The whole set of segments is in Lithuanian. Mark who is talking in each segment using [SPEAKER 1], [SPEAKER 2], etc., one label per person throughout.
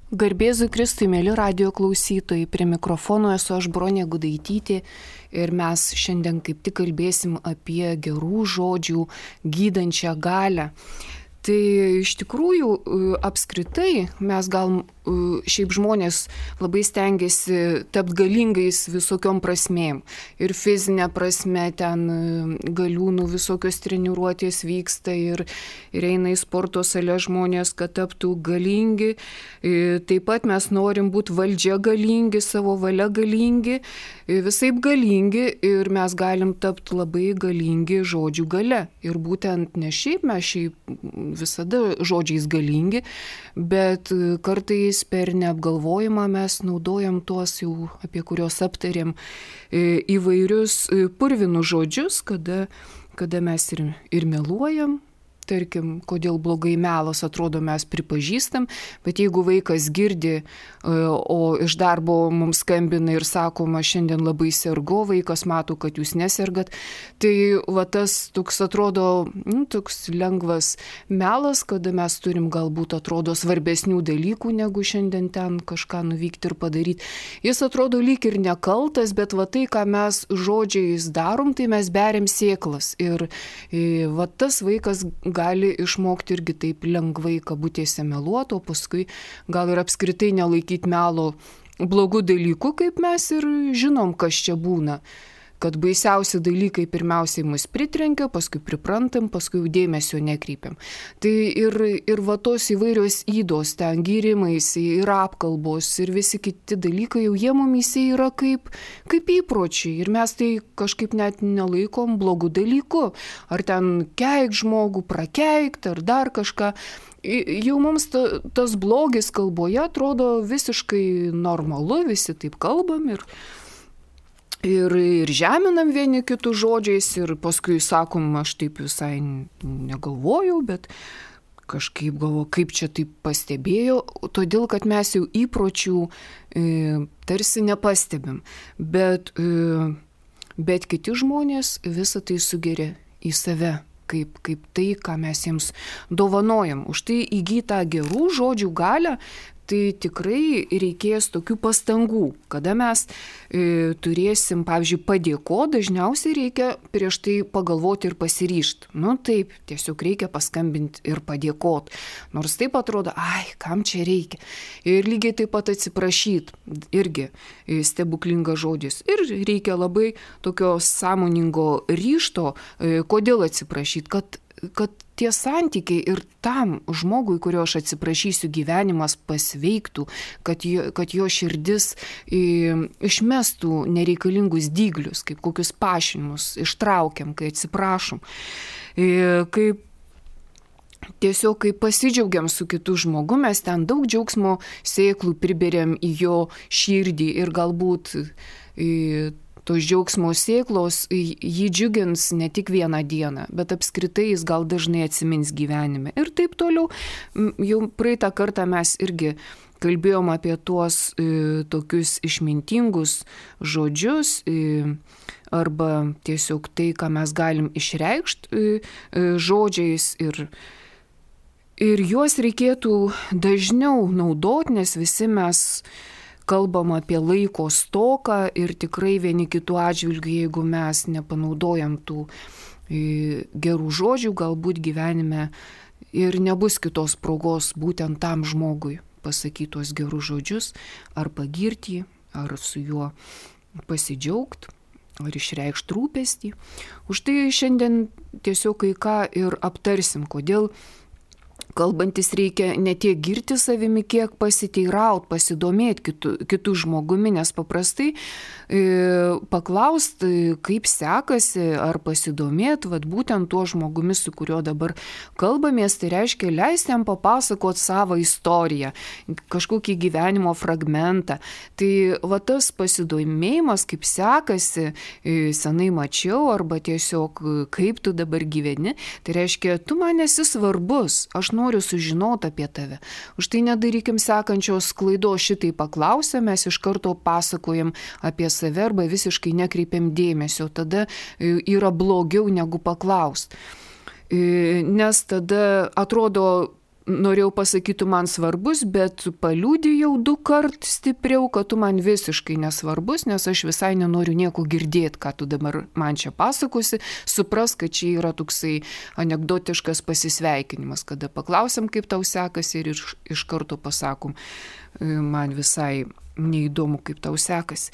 [SPEAKER 1] Garbėzui Kristui, mėly radijo klausytojai, prie mikrofono esu aš Bronė Gudaitytė ir mes šiandien kaip tik kalbėsim apie gerų žodžių gydančią galią. Tai iš tikrųjų apskritai mes gal šiaip žmonės labai stengiasi tapti galingais visokiom prasmėm. Ir fizinė prasme ten galiūnų visokios treniruotės vyksta ir eina į sporto salę žmonės, kad taptų galingi. Taip pat mes norim būti valdžia galingi, savo valia galingi, visaip galingi ir mes galim tapti labai galingi žodžių gale. Ir būtent ne šiaip mes visada žodžiais galingi, bet kartais per neapgalvojimą mes naudojam tuos jau, apie kuriuos aptarėm, įvairius purvinus žodžius, kada mes ir meluojam. Tarkim, kodėl blogai melas, atrodo, mes pripažįstam, bet jeigu vaikas girdi, o iš darbo mums skambina ir sakoma, šiandien labai sergu, vaikas mato, kad jūs nesergat, tai va tas toks atrodo, toks lengvas melas, kada mes turim galbūt atrodo svarbesnių dalykų, negu šiandien ten kažką nuvykti ir padaryti. Jis atrodo lyg ir nekaltas, bet va tai, ką mes žodžiais darom, tai mes beriam sėklas. Ir va tas vaikas gali išmokti irgi taip lengvai kabutėse meluoti, o paskui gal ir apskritai nelaikyti melo blogų dalykų, kaip mes ir žinom, kas čia būna. Kad baisiausi dalykai pirmiausiai mus pritrenkia, paskui priprantam, paskui dėmesio nekreipiam. Tai ir va tos įvairios įdos, ten gyrimais, ir apkalbos, ir visi kiti dalykai, jau jie mumyse yra kaip įpročiai. Ir mes tai kažkaip net nelaikom blogų dalykų. Ar ten keik žmogų, prakeikt, ar dar kažką. Jau mums tas blogis kalboje atrodo visiškai normalu, visi taip kalbam ir žeminam vieni kitų žodžiais ir paskui sakom, aš taip visai negalvojau, bet kažkaip galvoju, kaip čia taip pastebėjau, todėl kad mes jau įpročių tarsi nepastebim, bet kiti žmonės visą tai sugeria į save. Kaip tai, ką mes jiems dovanojam. Už tai įgytą gerų žodžių galią, tai tikrai reikės tokių pastangų. Kada mes turėsim, pavyzdžiui, padėkoti, dažniausiai reikia prieš tai pagalvoti ir pasiryžti. Taip, tiesiog reikia paskambinti ir padėkoti. Nors taip atrodo, kam čia reikia. Ir lygiai taip pat atsiprašyti, irgi stebuklingas žodis. Ir reikia labai tokio sąmoningo ryžto, kodėl atsiprašyti, kad tie santykiai ir tam žmogui, kurio aš atsiprašysiu, gyvenimas pasveiktų, kad jo širdis išmestų nereikalingus dyglius, kaip kokius pašinimus ištraukiam, kai atsiprašom. Tiesiog, kai pasidžiaugiam su kitu žmogu, mes ten daug džiaugsmo sėklų priberiam į jo širdį ir galbūt tos džiaugsmo sėklos jį džiugins ne tik vieną dieną, bet apskritai jis gal dažnai atsimins gyvenime. Ir taip toliau, jau praeitą kartą mes irgi kalbėjom apie tuos tokius išmintingus žodžius arba tiesiog tai, ką mes galim išreikšti žodžiais ir juos reikėtų dažniau naudoti, nes visi mes kalbam apie laiko stoką ir tikrai vieni kitų atžvilgių, jeigu mes nepanaudojam tų gerų žodžių, galbūt gyvenime ir nebus kitos progos būtent tam žmogui pasakyti tuos gerus žodžius, ar pagirti jį, ar su juo pasidžiaugti, ar išreikšti rūpestį. Už tai šiandien tiesiog kai ką ir aptarsim, kodėl kalbantis reikia ne tiek girti savimi, kiek pasiteiraut, pasidomėti kitų žmogumi, nes paprastai paklaust, kaip sekasi, ar pasidomėti, būtent tuo žmogumi, su kuriuo dabar kalbamės, tai reiškia leisti jam papasakoti savo istoriją, kažkokį gyvenimo fragmentą. Tai tas pasidomėjimas, kaip sekasi, senai mačiau, arba tiesiog kaip tu dabar gyveni, tai reiškia, tu man esi svarbus, aš noriu sužinoti apie tave. Už tai nedarykim sekančios klaidos, šitai paklausę, mes iš karto pasakojam apie save arba visiškai nekreipiam dėmesio, tada yra blogiau negu paklaust. Nes tada atrodo, norėjau pasakyti, tu man svarbus, bet paliudijau 2 kart stipriau, kad tu man visiškai nesvarbus, nes aš visai nenoriu nieko girdėti, ką tu dabar man čia pasakosi. Supras, kad čia yra toksai anekdotiškas pasisveikinimas, kada paklausiam, kaip tau sekasi ir iš karto pasakom, man visai neįdomu, kaip tau sekasi.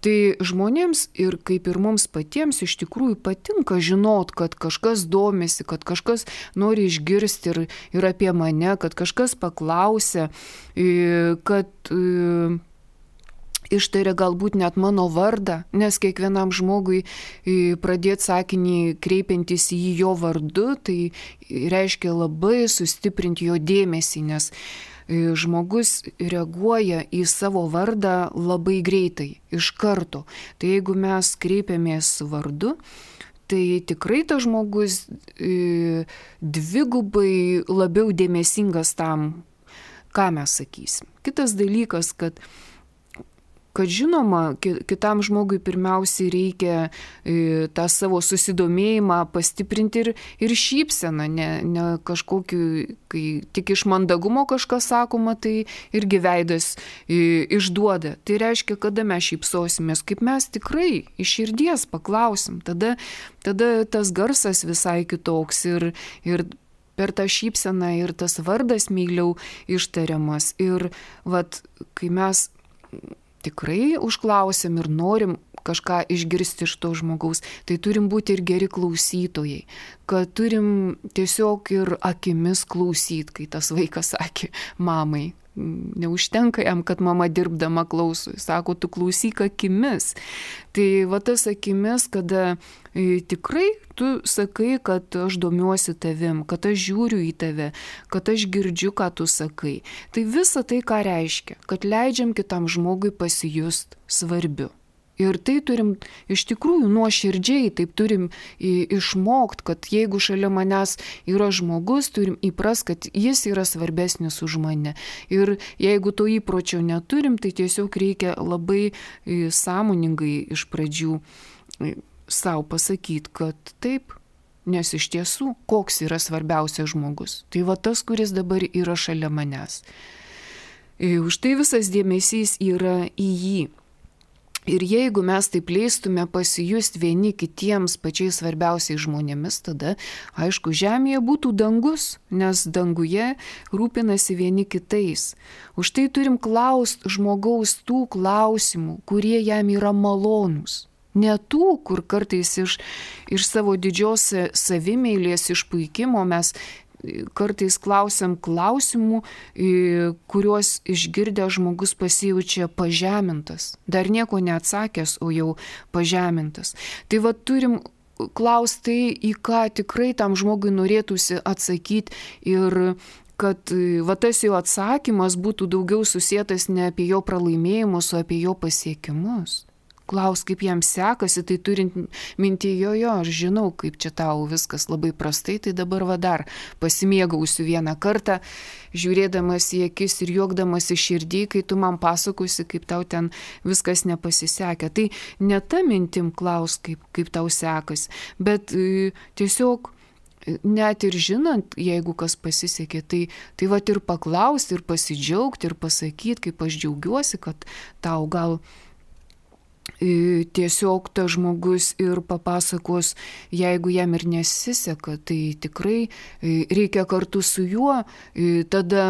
[SPEAKER 1] Tai žmonėms ir kaip ir mums patiems iš tikrųjų patinka žinot, kad kažkas domisi, kad kažkas nori išgirsti ir apie mane, kad kažkas paklausia, kad ištaria galbūt net mano vardą, nes kiekvienam žmogui pradėti sakinį kreipiantis į jį jo vardu, tai reiškia labai sustiprinti jo dėmesį, nes žmogus reaguoja į savo vardą labai greitai, iš karto. Tai jeigu mes kreipiamės vardu, tai tikrai tas žmogus dvigubai labiau dėmesingas tam, ką mes sakysim. Kitas dalykas, kad žinoma, kitam žmogui pirmiausiai reikia tą savo susidomėjimą pastiprinti ir šypseną, ne kažkokiu, kai tik iš mandagumo kažkas sakoma, tai irgi veidas išduoda. Tai reiškia, kada mes šypsosimės, kaip mes tikrai iš širdies paklausim, tada tas garsas visai kitoks ir per tą šypseną ir tas vardas meiliau ištariamas. Ir kai mes tikrai užklausėm ir norim kažką išgirsti iš to žmogaus, tai turim būti ir geri klausytojai, kad turim tiesiog ir akimis klausyti, kai tas vaikas sakė mamai. Neužtenka jam, kad mama dirbdama klauso, sako, tu klausyk akimis. Tai tas akimis, kada tikrai tu sakai, kad aš domiuosi tavim, kad aš žiūriu į tave, kad aš girdžiu, ką tu sakai. Tai visa tai ką reiškia, kad leidžiam kitam žmogui pasijust svarbiu. Ir tai turim iš tikrųjų nuoširdžiai, taip turim išmokti, kad jeigu šalia manęs yra žmogus, turim įprast, kad jis yra svarbesnis už mane. Ir jeigu to įpročio neturim, tai tiesiog reikia labai sąmoningai iš pradžių savo pasakyti, kad taip, nes iš tiesų, koks yra svarbiausias žmogus. Tai tas, kuris dabar yra šalia manęs. Už tai visas dėmesys yra į jį. Ir jeigu mes taip leistume pasijusti vieni kitiems pačiais svarbiausiais žmonėmis, tada, aišku, žemėje būtų dangus, nes danguje rūpinasi vieni kitais. Už tai turim klausti žmogaus tų klausimų, kurie jam yra malonūs. Ne tų, kur kartais iš savo didžios savimeilės išpuikimo mes kartais klausiam klausimų, kuriuos išgirdę žmogus pasijaučia pažemintas. Dar nieko neatsakęs, o jau pažemintas. Tai turim klausti tai, į ką tikrai tam žmogui norėtųsi atsakyti ir kad tas jo atsakymas būtų daugiau susietas ne apie jo pralaimėjimus, o apie jo pasiekimus. Klaus, kaip jam sekasi, tai turint mintyje, aš žinau, kaip čia tau viskas labai prastai, tai dabar dar pasimėgausiu vieną kartą, žiūrėdamas į akis ir juokdamas į širdį, kai tu man pasakosi, kaip tau ten viskas nepasisekė. Tai ne ta mintim klaus, kaip tau sekasi, bet tiesiog net ir žinant, jeigu kas pasisekė, tai ir paklausti, ir pasidžiaugti, ir pasakyti, kaip aš džiaugiuosi, kad tau gal tiesiog tas žmogus ir papasakos, jeigu jam ir nesiseka, tai tikrai reikia kartu su juo tada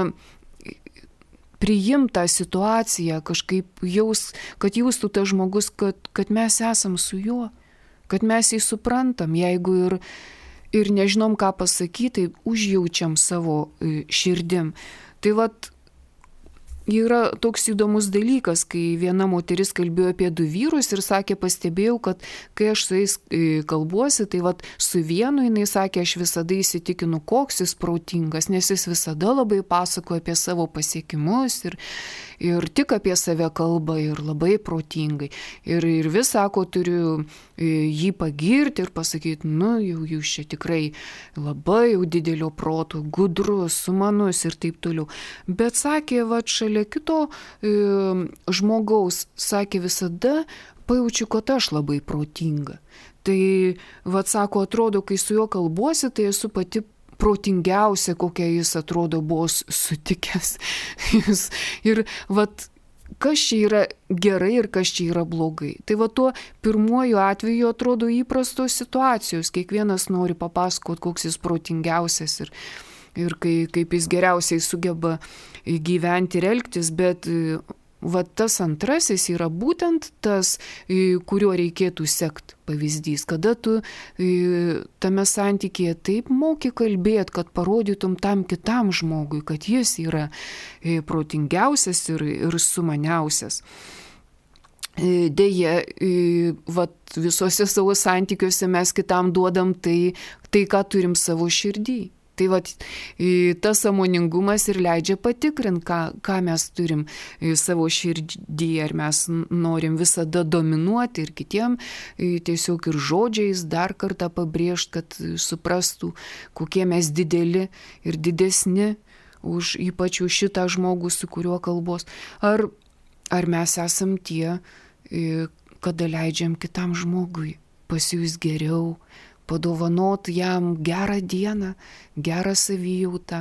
[SPEAKER 1] priimti tą situaciją, kažkaip kad jaustų tas žmogus, kad mes esam su juo, kad mes jį suprantam, jeigu ir nežinom, ką pasakyti, tai užjaučiam savo širdim. Tai yra toks įdomus dalykas, kai viena moteris kalbėjo apie 2 vyrus ir sakė, pastebėjau, kad kai aš su jais kalbuosi, tai su vienu jinai sakė, aš visada įsitikinu, koks jis protingas, nes jis visada labai pasakoja apie savo pasiekimus ir tik apie save kalba ir labai protingai. Ir vis sako, turiu jį pagirti ir pasakyti, jau jūs čia tikrai labai jau didelio proto, gudrus, sumanus ir taip toliau. Bet sakė, šalia kito žmogaus, sakė, visada pajaučiu, kad aš labai protinga. Tai, sako, atrodo, kai su juo kalbuosi, tai esu pati protingiausia, kokią jis atrodo buvo sutikęs. Ir vat, kas čia yra gerai ir kas čia yra blogai. Tai va tuo pirmuoju atveju atrodo įprastos situacijos. Kiekvienas nori papasakoti, koks jis protingiausias ir kaip jis geriausiai sugeba gyventi ir elgtis, bet va tas antrasis yra būtent tas, kuriuo reikėtų sekti pavyzdys, kada tu tame santykėje taip moki kalbėti, kad parodytum tam kitam žmogui, kad jis yra protingiausias ir sumaniausias. Deja, visuose savo santykiuose mes kitam duodam tai, ką turim savo širdį. Tai tas sąmoningumas ir leidžia patikrinti, ką mes turim savo širdį, ar mes norim visada dominuoti ir kitiem tiesiog ir žodžiais dar kartą pabrėžti, kad suprastų, kokie mes dideli ir didesni ypač už šitą žmogų, su kuriuo kalbos. Ar mes esam tie, kada leidžiam kitam žmogui pasijus geriau, padovanot jam gerą dieną, gerą savijautą.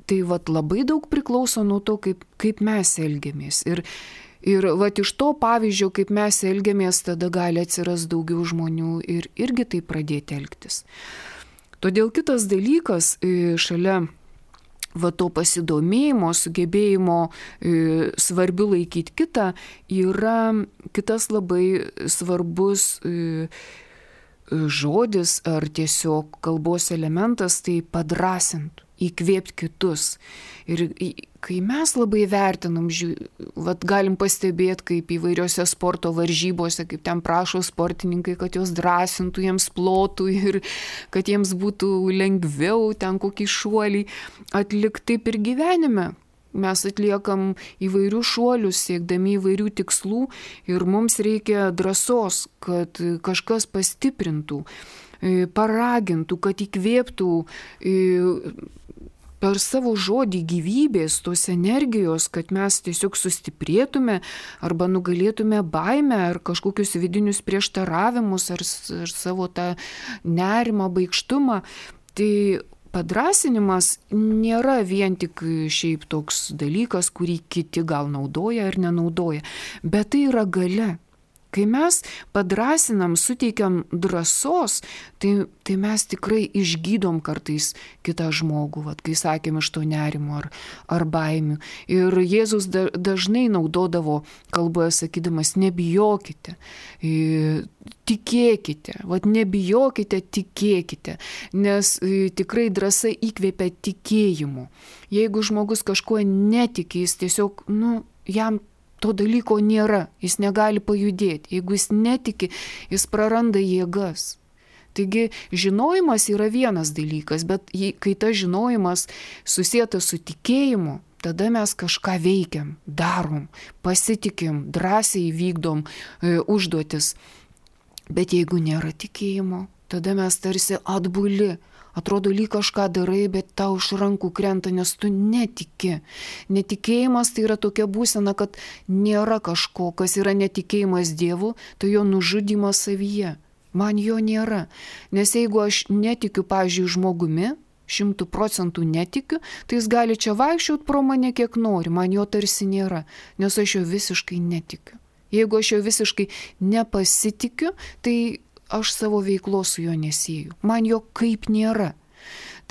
[SPEAKER 1] Tai labai daug priklauso nuo to, kaip mes elgiamės. Ir iš to pavyzdžio, kaip mes elgiamės, tada gali atsirasti daugiau žmonių ir irgi taip pradėti elgtis. Todėl kitas dalykas šalia to pasidomėjimo, sugebėjimo svarbiu laikyti kitą, yra kitas labai svarbus žodis ar tiesiog kalbos elementas, tai padrąsint, įkvėpti kitus. Ir kai mes labai vertinam, galim pastebėti, kaip įvairiose sporto varžybose, kaip ten prašo sportininkai, kad jos drąsintų, jiems plotų ir kad jiems būtų lengviau ten kokį šuolį atlikti. Taip ir gyvenime. Mes atliekam įvairių šuolius, siekdami įvairių tikslų ir mums reikia drąsos, kad kažkas pastiprintų, paragintų, kad įkvėptų per savo žodį gyvybės, tos energijos, kad mes tiesiog sustiprėtume arba nugalėtume baimę ar kažkokius vidinius prieštaravimus ar savo tą nerimą, baikštumą. Tai padrąsinimas nėra vien tik šiaip toks dalykas, kurį kiti gal naudoja ar nenaudoja, bet tai yra galia. Kai mes padrąsinam, suteikiam drąsos, tai mes tikrai išgydom kartais kitą žmogų, kai sakėm iš to nerimo ar baimių. Ir Jėzus dažnai naudodavo kalboje sakydamas, nebijokite, tikėkite, nebijokite, tikėkite, nes tikrai drąsa įkvėpia tikėjimu. Jeigu žmogus kažkuo netiki, jis tiesiog, jam to dalyko nėra, jis negali pajudėti. Jeigu jis netiki, jis praranda jėgas. Taigi žinojimas yra vienas dalykas, bet kai tas žinojimas susietas su tikėjimu, tada mes kažką veikiam, darom, pasitikim, drąsiai vykdom užduotis. Bet jeigu nėra tikėjimo, tada mes tarsi atbuli. Atrodo, lyg kažką darai, bet tau iš rankų krenta, nes tu netiki. Netikėjimas tai yra tokia būsena, kad nėra kažko, kas yra netikėjimas Dievu, tai jo nužudymas savyje. Man jo nėra. Nes jeigu aš netikiu, pavyzdžiui, žmogumi, 100% netikiu, tai jis gali čia vaikščioti pro mane kiek nori, man jo tarsi nėra, nes aš jo visiškai netikiu. Jeigu aš jo visiškai nepasitikiu, tai aš savo veiklos su juo nesieju. Man jo kaip nėra.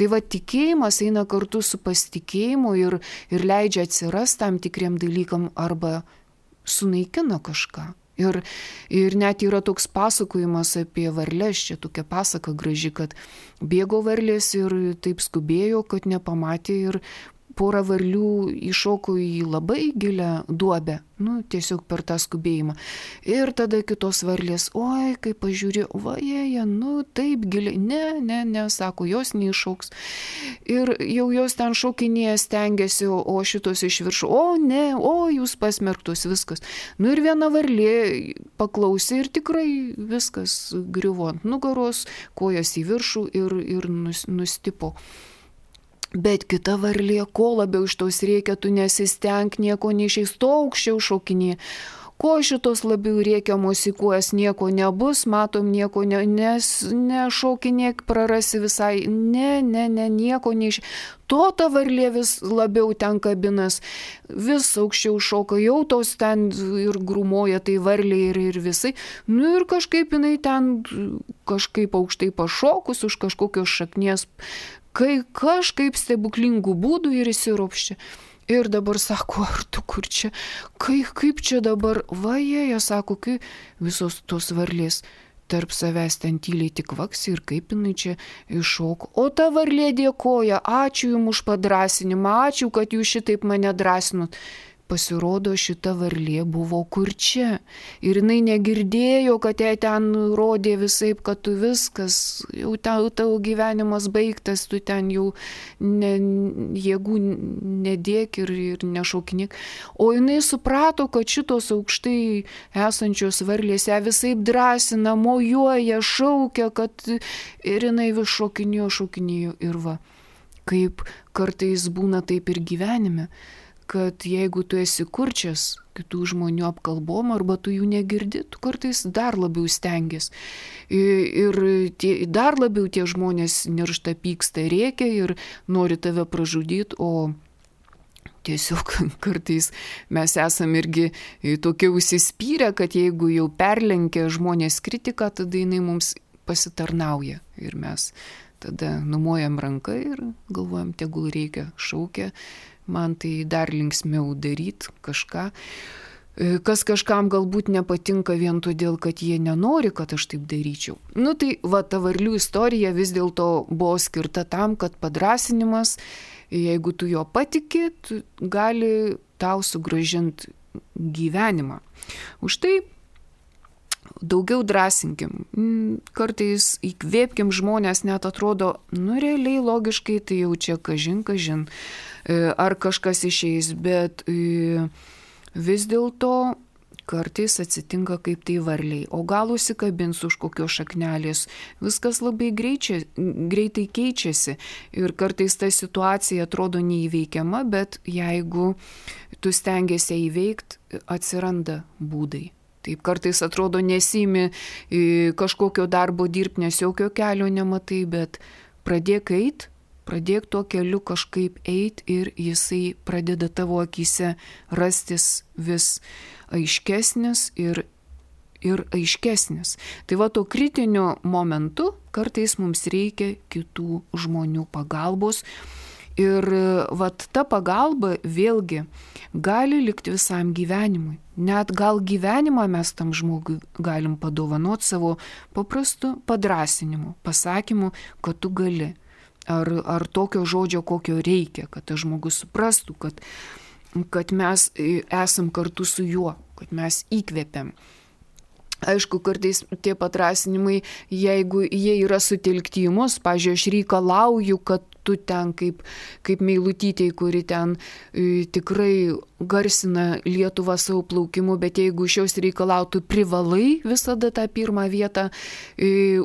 [SPEAKER 1] Tai tikėjimas eina kartu su pasitikėjimu ir leidžia atsirasti tam tikriem dalykam arba sunaikina kažką. Ir net yra toks pasakojimas apie varlės, čia tokia pasaka graži, kad bėgo varlės ir taip skubėjo, kad nepamatė ir pora varlių įšoko į labai gilią duobę, tiesiog per tą skubėjimą. Ir tada kitos varlės, oi, kai pažiūrė, vajeja, taip giliai, ne, sako, jos neiššoks. Ir jau jos ten šokinėje stengiasi, o šitos iš viršų, jūs pasmerktos, viskas. Ir viena varlė paklausė ir tikrai viskas griuvo ant nugaros, kojas į viršų ir nustipo. Bet kita varlė, ko labiau iš tos reikia, tu nesistenk, nieko neišeis, to aukščiau šokinė.
[SPEAKER 2] ko šitos labiau rėkiamos į kojas, nieko nebus, matom, nieko nešokinėk, prarasi visai, nieko neiš. Ta varlė vis labiau ten kabinas, vis aukščiau šoka, jau tos ten ir grūmoja tai varlė ir visai. Nu ir kažkaip jinai ten kažkaip aukštai pašokus už kažkokios šaknies, kai kažkaip stebuklingų būdų ir įsiropščia. Ir dabar sako, ar tu kur čia, kaip čia dabar, jie sako, kai visos tos varlės tarp savęs ten tyliai tik vaksi ir kaip jinai čia iššoko. O ta varlė dėkoja, ačiū jums už padrąsinimą, ačiū, kad jūs šitaip mane drąsinot. Pasirodo, šita varlė buvo kurčia. Ir jinai negirdėjo, kad jai ten rodė visaip, kad tu viskas, jau tavo gyvenimas baigtas, tu ten jau jėgų nedėk ir nešaukinėk. O jinai suprato, kad šitos aukštai esančios varlės ją visaip drąsina, mojuoja, šaukia, kad ir jinai vis šokinėjo ir va. Kaip kartais būna taip ir gyvenime, kad jeigu tu esi kurčias kitų žmonių apkalbom arba tu jų negirdi, tu kartais dar labiau stengies. Ir dar labiau tie žmonės niršta, pyksta, rėkia ir nori tave pražudyti, o tiesiog kartais mes esam irgi tokie užsispyrę, kad jeigu jau perlenkia žmonės kritiką, tada jinai mums pasitarnauja ir mes tada numojam ranką ir galvojam, tegul reikia, šaukia. Man tai dar linksmiau daryti kažką, kas kažkam galbūt nepatinka vien todėl, kad jie nenori, kad aš taip daryčiau. Nu tai ta varlių istorija vis dėlto buvo skirta tam, kad padrąsinimas, jeigu tu jo patiki, gali tau sugrąžinti gyvenimą. Už tai daugiau drąsinkim, kartais įkvėpkim žmonės, net atrodo, realiai logiškai tai jau čia kažin, ar kažkas išeis, bet vis dėlto kartais atsitinka kaip tai varliai, o gal užsikabins už kokios šaknelės, viskas labai greitai keičiasi ir kartais ta situacija atrodo neįveikiama, bet jeigu tu stengiesi įveikti, atsiranda būdai. Taip kartais atrodo nesimi kažkokio darbo dirbti, nes jokio kelio nematai, bet pradėk eit, pradėk tuo keliu kažkaip eit ir jisai pradeda tavo akyse rastis vis aiškesnis ir aiškesnis. Tai to kritiniu momentu kartais mums reikia kitų žmonių pagalbos. Ir ta pagalba vėlgi gali likti visam gyvenimui. Net gal gyvenimą mes tam žmogui galim padovanoti savo paprastu padrąsinimu, pasakymu, kad tu gali. Ar tokio žodžio, kokio reikia, kad tas žmogus suprastų, kad mes esam kartu su juo, kad mes įkvepiam. Aišku, kartais tie padrąsinimai, jeigu jie yra sutelkti į mus, pavyzdžiui, aš reikalauju, kad tu ten kaip Meilutytei, kuri ten tikrai garsina Lietuvą savo plaukimu, bet jeigu iš jos reikalautų, privalai visada tą pirmą vietą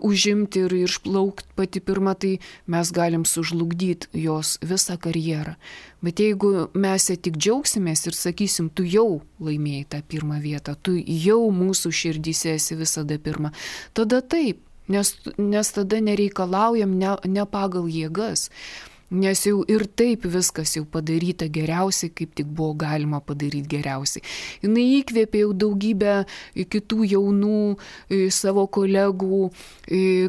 [SPEAKER 2] užimti ir išplaukti pati pirma, tai mes galim sužlugdyti jos visą karjerą. Bet jeigu mes tik džiaugsimės ir sakysim, tu jau laimėjai tą pirmą vietą, tu jau mūsų širdyse esi visada pirma, tada taip. Nes tada nereikalaujam ne pagal jėgas, nes jau ir taip viskas jau padaryta geriausiai, kaip tik buvo galima padaryti geriausiai. Jinai įkvėpė jau daugybę kitų jaunų savo kolegų,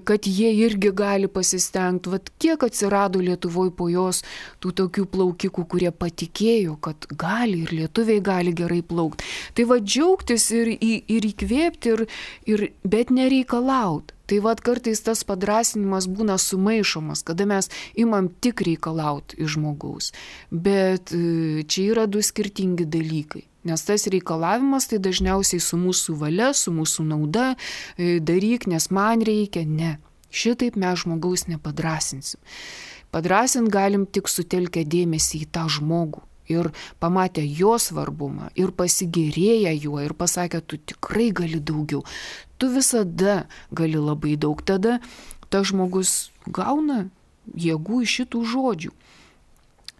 [SPEAKER 2] kad jie irgi gali pasistengti. Vat kiek atsirado Lietuvoje po jos tų tokių plaukikų, kurie patikėjo, kad gali ir lietuviai gali gerai plaukti. Tai džiaugtis ir įkvėpti, bet nereikalauti. Tai kartais tas padrąsinimas būna sumaišomas, kada mes imam tik reikalauti iš žmogaus. Bet čia yra du skirtingi dalykai. Nes tas reikalavimas tai dažniausiai su mūsų valia, su mūsų nauda, daryk, nes man reikia. Ne, šitaip mes žmogaus nepadrąsinsim. Padrąsint galim tik sutelkę dėmesį į tą žmogų. Ir pamatę jo svarbumą, ir pasigėrėję juo, ir pasakę, tu tikrai gali daugiau. Tu visada gali labai daug. Tada tas žmogus gauna jėgų iš šitų žodžių.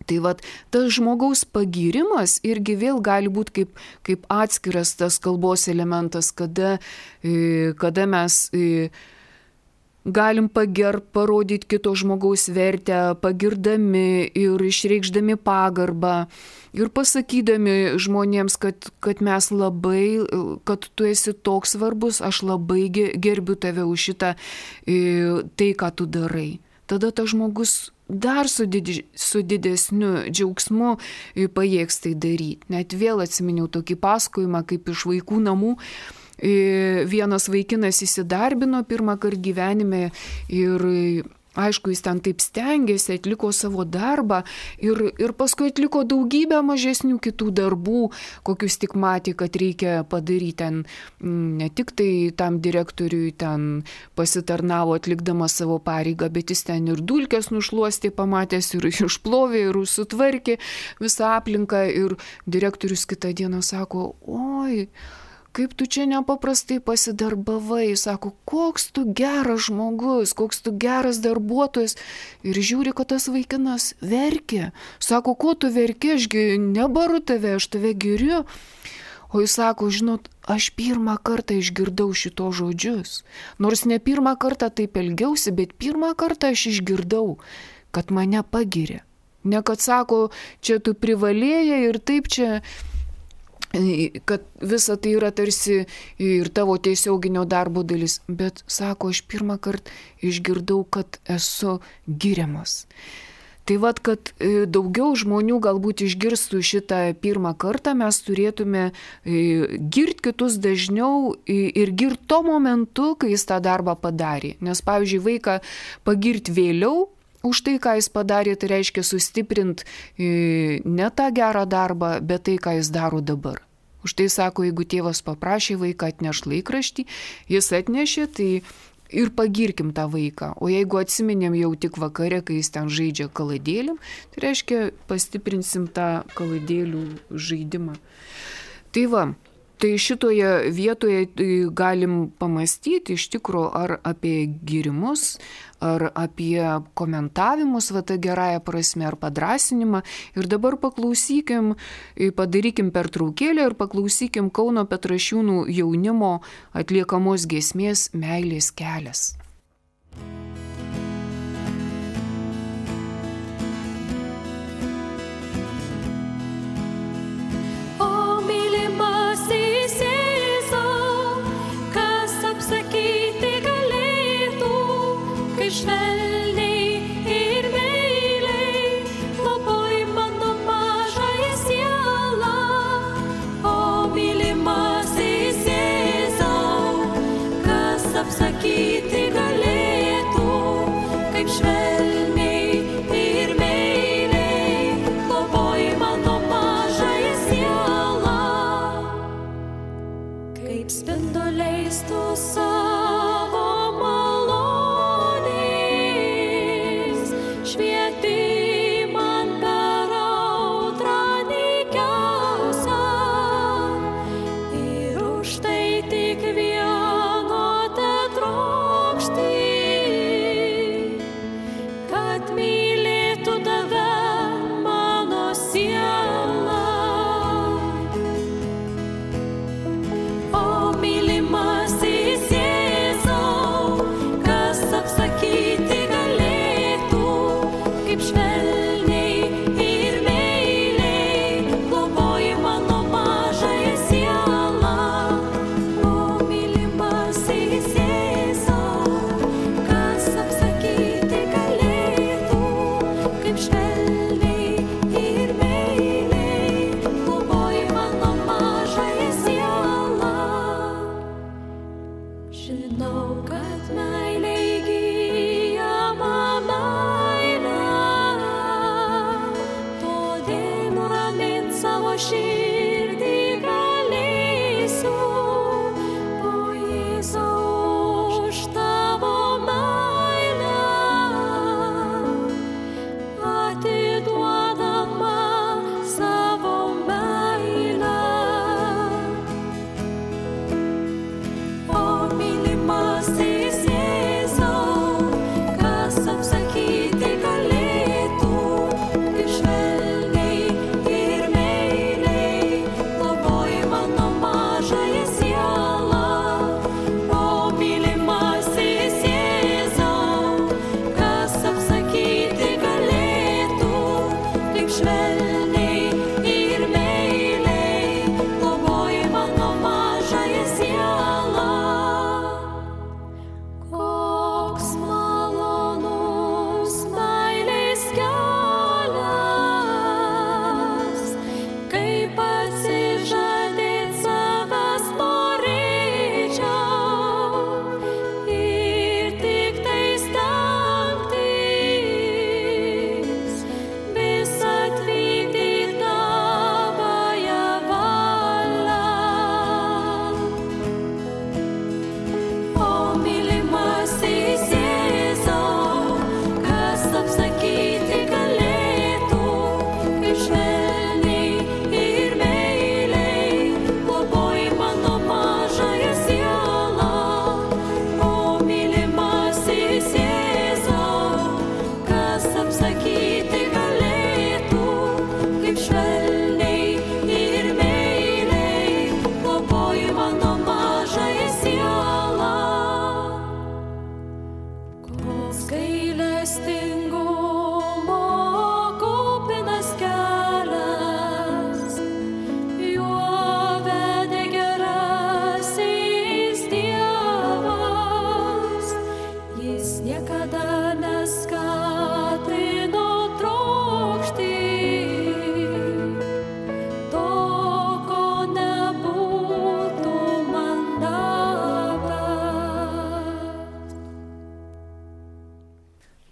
[SPEAKER 2] Tai vat, tas žmogaus pagyrimas irgi vėl gali būti kaip atskiras tas kalbos elementas, kada mes galim parodyti kito žmogaus vertę, pagirdami ir išreikšdami pagarbą ir pasakydami žmonėms, kad mes labai, kad tu esi toks svarbus, aš labai gerbiu tave už šitą tai, ką tu darai. Tada tas žmogus dar su didesniu džiaugsmu pajėgs tai daryti. Net vėl atsiminiau tokį pasakojimą, kaip iš vaikų namų vienas vaikinas įsidarbino pirmą kartą gyvenime ir aišku, jis ten taip stengiasi, atliko savo darbą ir paskui atliko daugybę mažesnių kitų darbų, kokius tik matė, kad reikia padaryti ten, ne tik tai tam direktoriui ten pasitarnavo atlikdamas savo pareigą, bet jis ten ir dulkes nušluostė, pamatęs ir išplovė, ir sutvarkė visą aplinką ir direktorius kitą dieną sako, oi, kaip tu čia nepaprastai pasidarbavai, sako, koks tu geras žmogus, koks tu geras darbuotojas. Ir žiūri, kad tas vaikinas verkia. Sako, ko tu verki, ašgi nebaru tave, aš tave giriu. O jis sako, žinot, aš pirmą kartą išgirdau šito žodžius. Nors ne pirmą kartą taip elgiausi, bet pirmą kartą aš išgirdau, kad mane pagiria. Ne kad sako, čia tu privalėjai ir taip čia... kad visa tai yra tarsi ir tavo tiesioginio darbo dalis, bet sako, aš pirmą kartą išgirdau, kad esu giriamas. Tai vat, kad daugiau žmonių galbūt išgirstų šitą pirmą kartą, mes turėtume girti kitus dažniau ir girti tuo momentu, kai jis tą darbą padarė. Nes, pavyzdžiui, vaiką pagirti vėliau, už tai, ką jis padarė, tai reiškia sustiprinti ne tą gerą darbą, bet tai, ką jis daro dabar. Už tai sako, jeigu tėvas paprašė vaiką atnešti laikraštį, jis atnešė, tai ir pagirkim tą vaiką. O jeigu atsiminėm jau tik vakare, kai jis ten žaidžia kaladėlėm, tai reiškia pastiprinsim tą kaladėlių žaidimą. Tai va. Tai šitoje vietoje galim pamastyti iš tikro ar apie gyrimus, ar apie komentavimus, va tą gerąją prasme, ar padrąsinimą. Ir dabar paklausykim, padarykim pertraukėlę ir paklausykim Kauno Petrašiūnų jaunimo atliekamos giesmės Meilės kelias.
[SPEAKER 3] Švelniai ir meiliai globoj mano mažąją sielą, o mylimasis Jėzau, kas apsakyti galėtų, kaip švelniai ir meiliai globoj mano mažąją sielą, kaip spinduliais tu savo apsakyti galėtų, kaip švelniai.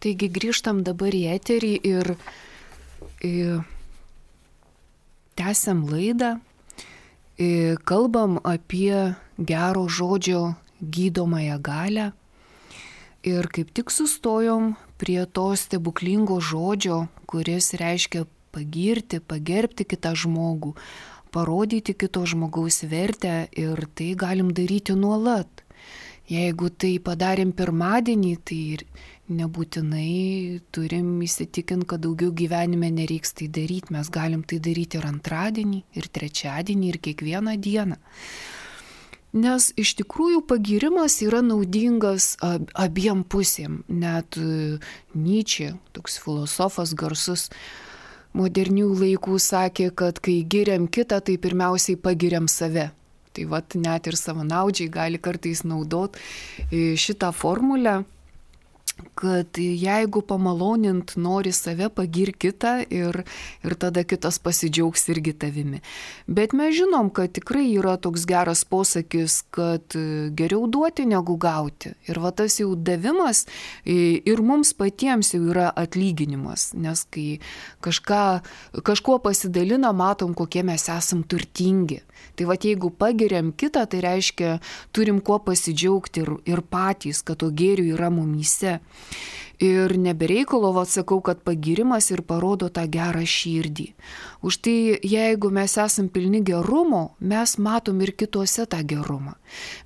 [SPEAKER 1] Taigi grįžtam dabar į eterį ir tęsiam laidą, kalbam apie gero žodžio gydomąją galią ir kaip tik sustojom prie to stebuklingo žodžio, kuris reiškia pagirti, pagerbti kitą žmogų, parodyti kito žmogaus vertę ir tai galim daryti nuolat. Jeigu tai padarėm pirmadienį, tai ir nebūtinai turim įsitikinti, kad daugiau gyvenime nereiks tai daryti. Mes galim tai daryti ir antradienį, ir trečiadienį, ir kiekvieną dieną. Nes iš tikrųjų pagirimas yra naudingas abiem pusėm. Net Nyčė, toks filosofas garsus modernių laikų, sakė, kad kai giriam kitą, tai pirmiausiai pagiriam save. Tai vat net ir savanaudžiai gali kartais naudoti šitą formulę, kad jeigu pamalonint nori save, pagir kitą ir tada kitas pasidžiaugs irgi tavimi. Bet mes žinom, kad tikrai yra toks geras posakis, kad geriau duoti negu gauti. Ir va tas jau davimas ir mums patiems jau yra atlyginimas, nes kai kažkuo pasidalina, matom, kokie mes esam turtingi. Tai va jeigu pagiriam kitą, tai reiškia, turim kuo pasidžiaugti ir patys, kad to gėrių yra mumyse. Ir nebereikalo, sakau, kad pagirimas ir parodo tą gerą širdį. Už tai, jeigu mes esam pilni gerumo, mes matom ir kituose tą gerumą.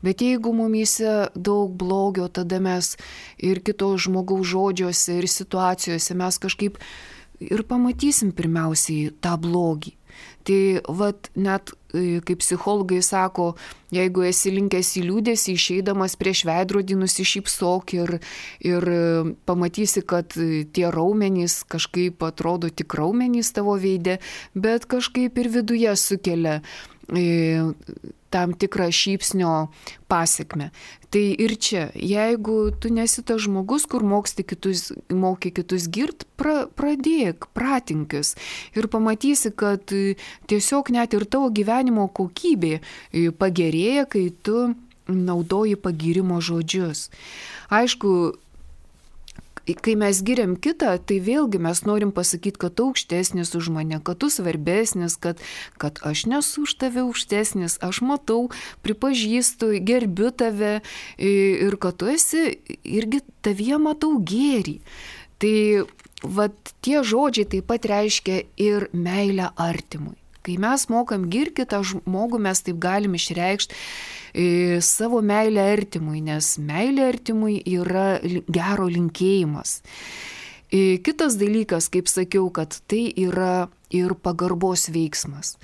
[SPEAKER 1] Bet jeigu mumyse daug blogio, tada mes ir kito žmogaus žodžiuose ir situacijose mes kažkaip ir pamatysim pirmiausiai tą blogį. Tai vat net kaip psichologai sako, jeigu esi linkęs į liūdesį, išeidamas prieš veidrodį nusišypsok ir pamatysi, kad tie raumenys kažkaip atrodo tik raumenys tavo veide, bet kažkaip ir viduje sukelia tam tikrą šypsnio pasekmę. Tai ir čia, jeigu tu nesi tas žmogus, kur moki kitus girt, pradėk, pratinkis ir pamatysi, kad tiesiog net ir tavo gyvenimo kokybė pagerėja, kai tu naudoji pagyrimo žodžius. Aišku, kai mes giriam kitą, tai vėlgi mes norim pasakyti, kad tu aukštesnis už mane, kad tu svarbesnis, kad aš nesu už tave aukštesnis, aš matau, pripažįstu, gerbiu tave ir kad tu esi irgi tavyje matau gėrį. Tai vat tie žodžiai taip pat reiškia ir meilę artimui. Kai mes mokam girti kitą žmogų, mes taip galim išreikšti savo meilę artimui, nes meilė artimui yra gero linkėjimas. Kitas dalykas, kaip sakiau, kad tai yra ir pagarbos veiksmas.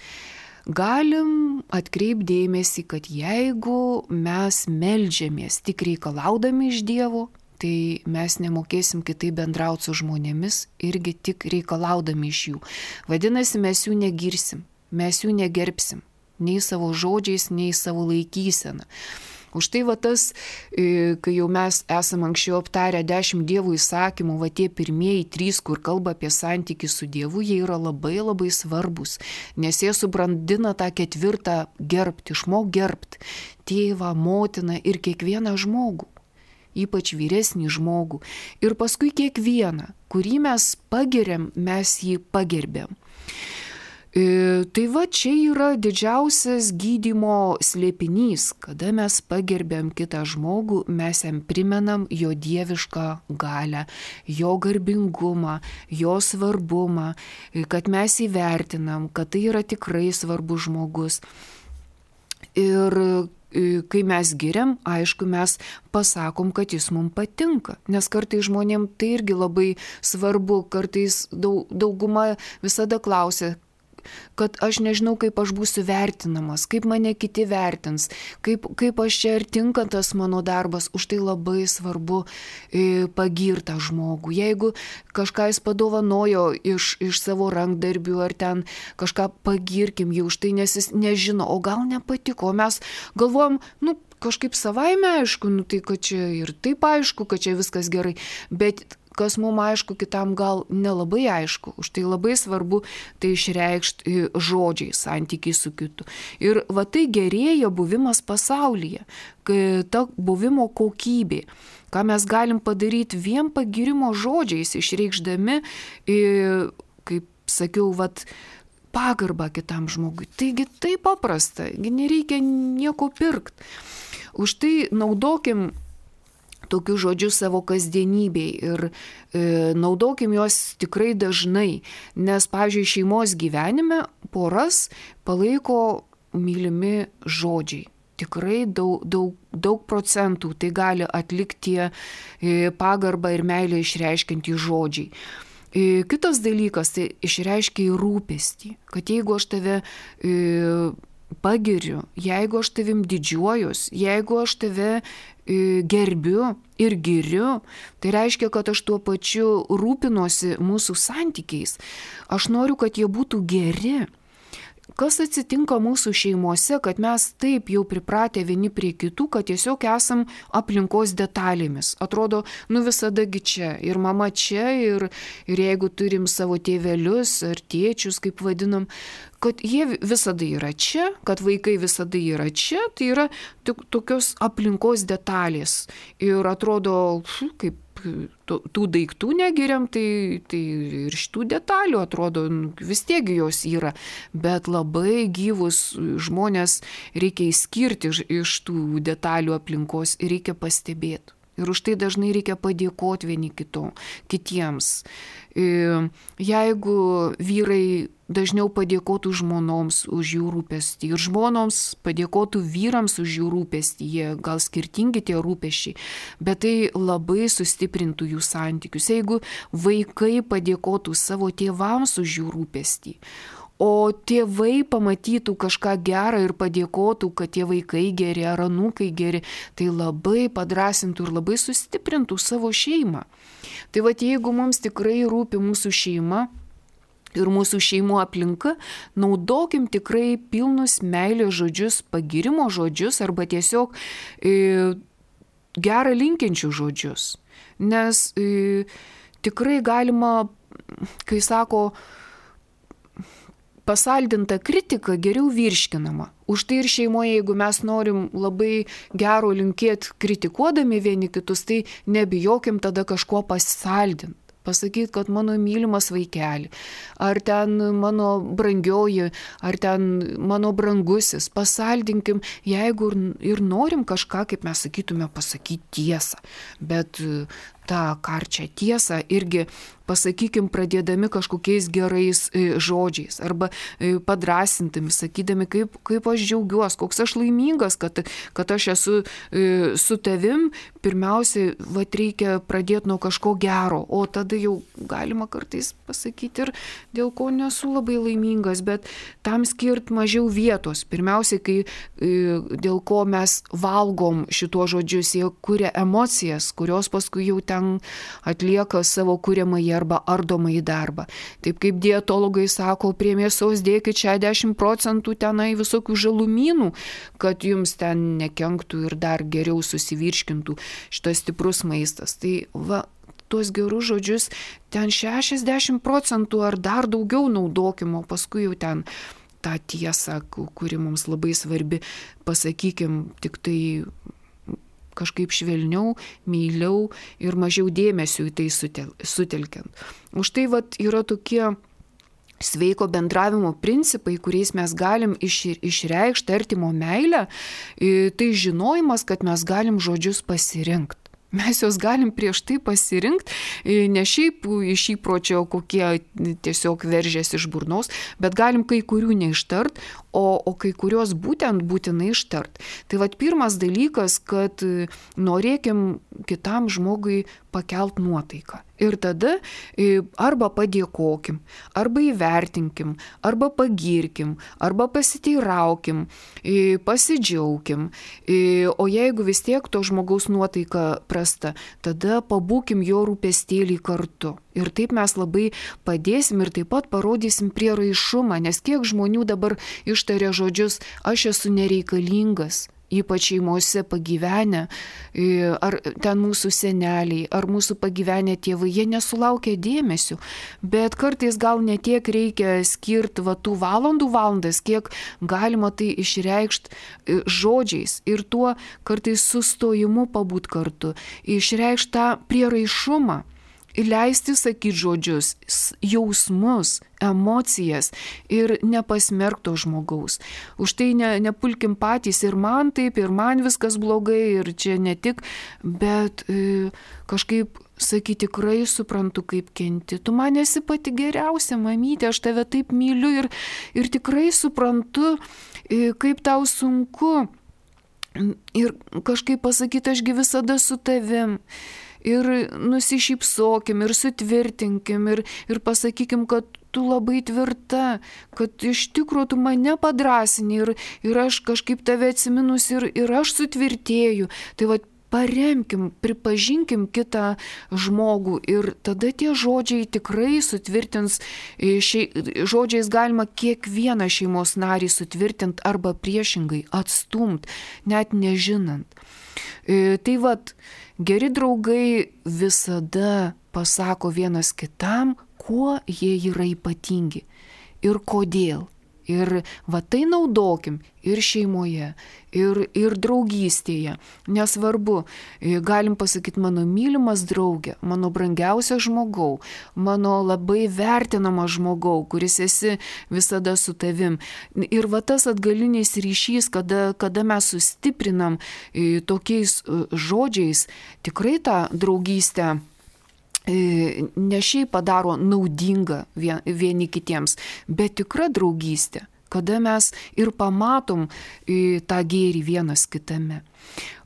[SPEAKER 1] Galim atkreipdėmėsi, kad jeigu mes meldžiamės tik reikalaudami iš Dievo, tai mes nemokėsim kitaip bendrauti su žmonėmis, irgi tik reikalaudami iš jų. Vadinasi, mes jų negirsim, mes jų negerbsim, nei savo žodžiais, nei savo laikyseną. Už tai va tas, kai jau mes esam anksčiau aptarę 10 Dievo įsakymų, va tie pirmieji 3, kur kalba apie santykį su Dievu, jie yra labai labai svarbus, nes jie subrandina tą 4 gerbti, išmok gerbti tėvą, motiną ir kiekvieną žmogų, ypač vyresnį žmogų. Ir paskui kiekvieną, kurį mes pagiriam, mes jį pagerbėm. Tai va čia yra didžiausias gydymo slėpinys, kada mes pagerbėm kitą žmogų, mes jam primenam jo dievišką galią, jo garbingumą, jo svarbumą, kad mes įvertinam, kad tai yra tikrai svarbus žmogus. Ir kai mes giriam, aišku, mes pasakom, kad jis mums patinka, nes kartais žmonėm tai irgi labai svarbu, kartais dauguma visada klausia, kad aš nežinau, kaip aš būsiu vertinamas, kaip mane kiti vertins, kaip aš čia ar tinka tas mano darbas. Už tai labai svarbu pagirtą žmogų. Jeigu kažką jis padovanojo iš savo rankdarbių ar ten kažką pagirkim jį už tai, nes jis nežino, o gal nepatiko, o mes galvojam, kažkaip savaime aišku, tai kad čia ir taip aišku, kad čia viskas gerai, bet kas mums aišku, kitam gal nelabai aišku. Už tai labai svarbu tai išreikšti žodžiai, santykiai su kitu. Ir va tai gerėja buvimas pasaulyje, ta buvimo kokybė,
[SPEAKER 2] ką mes galim padaryti vien pagirimo žodžiais, išreikšdami, kaip sakiau, pagarbą kitam žmogui. Taigi tai paprasta, nereikia nieko pirkti. Už tai naudokim tokius žodžius savo kasdienybėj ir naudokim juos tikrai dažnai, nes, pavyzdžiui, šeimos gyvenime poras palaiko mylimi žodžiai. Tikrai daug procentų tai gali atlikti pagarbą ir meilę išreiškiantys žodžiai. Kitas dalykas, tai išreiškia rūpestį, kad jeigu aš tave pagiriu, jeigu aš tavim didžiuojus, jeigu aš tave gerbiu ir giriu, tai reiškia, kad aš tuo pačiu rūpinuosi mūsų santykiais. Aš noriu, kad jie būtų geri. Kas atsitinka mūsų šeimose, kad mes taip jau pripratę vieni prie kitų, kad tiesiog esam aplinkos detalėmis. Atrodo, visadagi čia, ir mama čia, ir jeigu turim savo tėvelius ar tėčius, kaip vadinam, kad jie visada yra čia, kad vaikai visada yra čia, tai yra tokios aplinkos detalės. Ir atrodo, kaip tų daiktų negiriam, tai ir šitų detalių atrodo, vis tiek jos yra, bet labai gyvus žmonės reikia išskirti iš tų detalių aplinkos ir reikia pastebėti. Ir už tai dažnai reikia padėkoti vieni kitiems. Jeigu vyrai dažniau padėkotų žmonoms už jų rūpestį ir žmonoms padėkotų vyrams už jų rūpestį, jie gal skirtingi tie rūpesčiai, bet tai labai sustiprintų jų santykius. Jeigu vaikai padėkotų savo tėvams už jų rūpestį, o tėvai pamatytų kažką gerą ir padėkotų, kad tie vaikai geri ar anūkai geri, tai labai padrasintų ir labai sustiprintų savo šeimą. Tai jeigu mums tikrai rūpi mūsų šeima ir mūsų šeimų aplinka, naudokim tikrai pilnus meilės žodžius, pagirimo žodžius arba tiesiog gerą linkinčių žodžius. Nes tikrai galima, kai sako, pasaldinta kritika geriau virškinama. Už tai ir šeimoje, jeigu mes norim labai gero linkėti kritikuodami vieni kitus, tai nebijokim tada kažko pasaldinti. Pasakyti, kad mano mylimas vaikeli, ar ten mano brangioji, ar ten mano brangusis, pasaldinkim, jeigu ir norim kažką, kaip mes sakytume, pasakyti tiesą. Bet tą karčią tiesą irgi pasakykim pradėdami kažkokiais gerais žodžiais arba padrasintami, sakydami, kaip aš džiaugiuosi, koks aš laimingas, kad aš esu su tavim. Pirmiausia, reikia pradėti nuo kažko gero, o tada jau galima kartais pasakyti ir dėl ko nesu labai laimingas, bet tam skirti mažiau vietos. Pirmiausia, dėl ko mes valgom šituos žodžius, jie kuria emocijas, kurios paskui jau ten atlieka savo kuriamąjį arba ardomąjį darbą. Taip kaip dietologai sako, prie mėsos dėkit 60% tenai visokių žalumynų, kad jums ten nekenktų ir dar geriau susivirškintų šitas stiprus maistas. Tai tuos gerus žodžius ten 60% ar dar daugiau naudokim, o paskui jau ten tą tiesą, kuri mums labai svarbi, pasakykim tik tai kažkaip švelniau, meiliau ir mažiau dėmesio į tai sutelkiant. Už tai yra tokie sveiko bendravimo principai, kuriais mes galim išreikšti artimo meilę, tai žinojimas, kad mes galim žodžius pasirinkti. Mes juos galim prieš tai pasirinkti, ne šiaip iš įpročio, kokie tiesiog veržėsi iš burnos, bet galim kai kurių neištart, o kai kurios būtinai ištart. Tai pirmas dalykas, kad norėkim kitam žmogui pakelt nuotaiką. Ir tada arba padėkokim, arba įvertinkim, arba pagirkim, arba pasiteiraukim, pasidžiaugkim. O jeigu vis tiek to žmogaus nuotaika prasta, tada pabūkim jo rūpestėlį kartu. Ir taip mes labai padėsim ir taip pat parodysim prieraišumą, nes kiek žmonių dabar ištaria žodžius, aš esu nereikalingas. ypač šeimose pagyvenę, ar ten mūsų seneliai, ar mūsų pagyvenę tėvai, jie nesulaukia dėmesio, bet kartais gal netiek reikia skirti tų valandas, kiek galima tai išreikšti žodžiais ir tuo kartais sustojimu pabūt kartu, išreikšti tą prieraišumą. Leisti sakyti žodžius, jausmus, emocijas ir nepasmerkto žmogaus. Už tai nepulkim patys ir man taip, ir man viskas blogai, ir čia ne tik, bet kažkaip sakyti, tikrai suprantu, kaip kenti. Tu man esi pati geriausia, mamytė, aš tave taip myliu ir tikrai suprantu, kaip tau sunku. Ir kažkaip pasakyti, ašgi visada su tavim. Ir nusišypsokim, ir sutvirtinkim, ir pasakykim, kad tu labai tvirta, kad iš tikrųjų tu mane padrasini ir aš kažkaip tave atsiminus ir aš sutvirtėju. Tai va, paremkim, pripažinkim kitą žmogų ir tada tie žodžiai tikrai sutvirtins, žodžiais galima kiekvieną šeimos narį sutvirtinti arba priešingai atstumti, net nežinant. Tai vat, geri draugai visada pasako vienas kitam, kuo jie yra ypatingi ir kodėl. Ir va tai naudokim ir šeimoje, ir draugystėje. Nesvarbu, galim pasakyti mano mylimas draugė, mano brangiausias žmogau, mano labai vertinamas žmogau, kuris esi visada su tavim. Ir va tas atgalinis ryšys, kada mes sustiprinam tokiais žodžiais, tikrai tą draugystę ne šiaip padaro naudinga vieni kitiems, bet tikra draugystė, kada mes ir pamatom tą gėrį vienas kitame.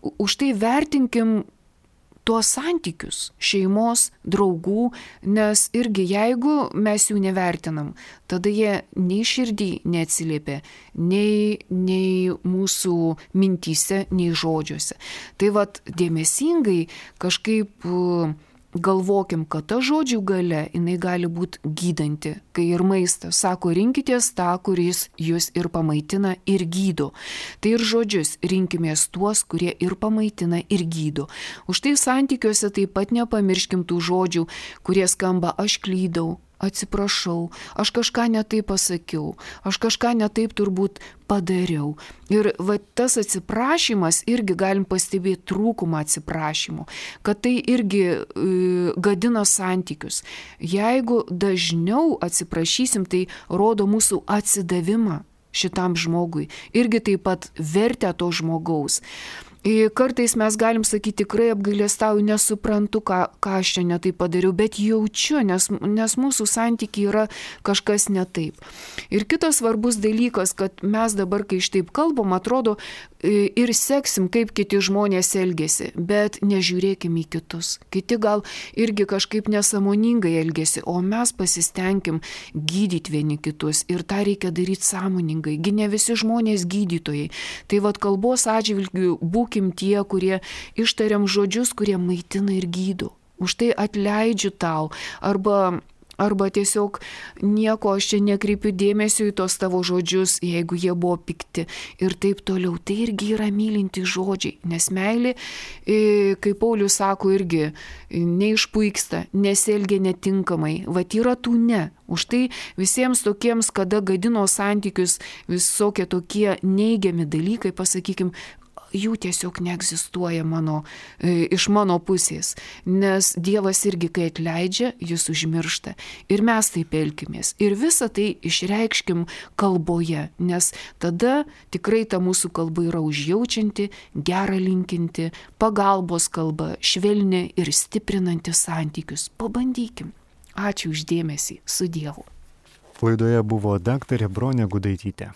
[SPEAKER 2] Už tai vertinkim tuos santykius šeimos, draugų, nes irgi jeigu mes jų nevertinam, tada jie nei širdį neatsiliepia, nei mūsų mintyse, nei žodžiuose. Tai vat dėmesingai kažkaip galvokim, kad ta žodžių galia, jinai gali būti gydanti, kai ir maistas. Sako, rinkitės tą, kuris jūs ir pamaitina, ir gydo. Tai ir žodžius rinkimės tuos, kurie ir pamaitina, ir gydo. Už tai santykiuose taip pat nepamirškim tų žodžių, kurie skamba aš klydau, atsiprašau, aš kažką netaip pasakiau, aš kažką netaip turbūt padariau. Ir va tas atsiprašymas irgi galim pastebėti trūkumą atsiprašymo, kad tai irgi gadina santykius. Jeigu dažniau atsiprašysim, tai rodo mūsų atsidavimą šitam žmogui, irgi taip pat vertę to žmogaus. Kartais mes galim sakyti, tikrai apgailestauju, nesuprantu, ką aš čia netaip padariau, bet jaučiu, nes mūsų santykiai yra kažkas netaip. Ir kitas svarbus dalykas, kad mes dabar, kai šitaip kalbam, atrodo ir seksim, kaip kiti žmonės elgesi, bet nežiūrėkim į kitus. Kiti gal irgi kažkaip nesąmoningai elgesi, o mes pasistengim gydyti vieni kitus ir tą reikia daryti sąmoningai. Gi ne visi žmonės gydytojai. Tai vat kalbos atžvilgiu būkim tie, kurie ištariam žodžius, kurie maitina ir gydo. Už tai atleidžiu tau arba tiesiog nieko aš čia nekreipiu dėmesio į tos tavo žodžius, jeigu jie buvo pikti ir taip toliau. Tai irgi yra mylinti žodžiai, nes meilė, kaip Paulius sako, irgi neišpuiksta, nesielgia netinkamai, vat yra tų ne. Už tai visiems tokiems, kada gadino santykius visokie tokie neigiami dalykai, pasakykim, jų tiesiog neegzistuoja iš mano pusės, nes Dievas irgi, kai atleidžia, jis užmiršta. Ir mes taip elkimės. Ir visą tai išreikškim kalboje, nes tada tikrai ta mūsų kalba yra užjaučianti, gera linkinti, pagalbos kalba, švelni ir stiprinanti santykius. Pabandykim. Ačiū už dėmesį. Su Dievu.
[SPEAKER 4] Laidoje buvo daktarė Bronė Gudaitytė.